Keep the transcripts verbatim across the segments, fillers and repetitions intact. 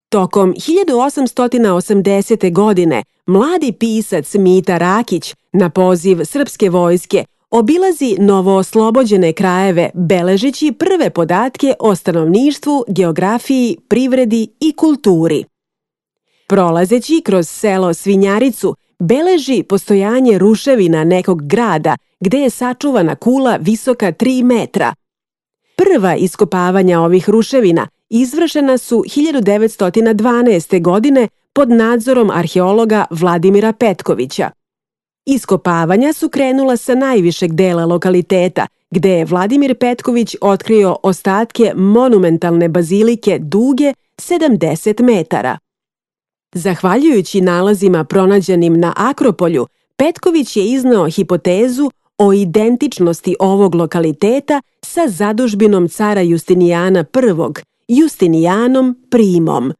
Tokom hiljadu osamsto osamdesete. godine mladi pisac Mita Rakić na poziv srpske vojske obilazi novooslobođene krajeve beležeći prve podatke o stanovništvu, geografiji, privredi i kulturi. Prolazeći kroz selo Svinjaricu, beleži postojanje ruševina nekog grada gde je sačuvana kula visoka tri metra. Prva iskopavanja ovih ruševina izvršena su hiljadu devetsto dvanaeste. godine pod nadzorom arheologa Vladimira Petkovića. Iskopavanja su krenula sa najvišeg dela lokaliteta, gde je Vladimir Petković otkrio ostatke monumentalne bazilike duge sedamdeset metara. Zahvaljujući nalazima pronađenim na Akropolju, Petković je izneo hipotezu o identičnosti ovog lokaliteta sa zadužbinom cara Justinijana prvog, Justinijanom Primom.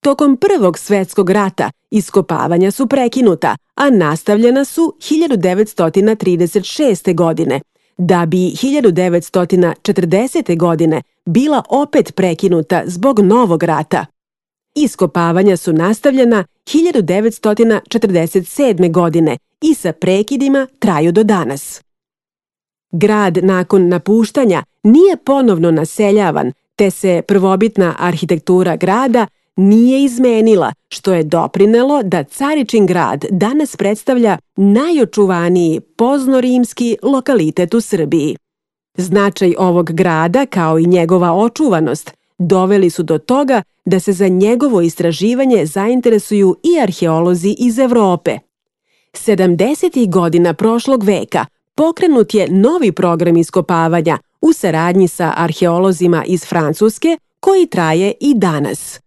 Tokom Prvog svetskog rata iskopavanja su prekinuta, a nastavljena su hiljadu devetsto trideset šeste. godine, da bi hiljadu devetsto četrdesete. godine bila opet prekinuta zbog novog rata. Iskopavanja su nastavljena hiljadu devetsto četrdeset sedme. godine i sa prekidima traju do danas. Grad nakon napuštanja nije ponovno naseljavan, te se prvobitna arhitektura grada nije izmenila, što je doprinelo da Caričin grad danas predstavlja najočuvaniji poznorimski lokalitet u Srbiji. Značaj ovog grada, kao i njegova očuvanost, doveli su do toga da se za njegovo istraživanje zainteresuju i arheolozi iz Evrope. sedamdesetih godina prošlog veka pokrenut je novi program iskopavanja u saradnji sa arheolozima iz Francuske, koji traje i danas.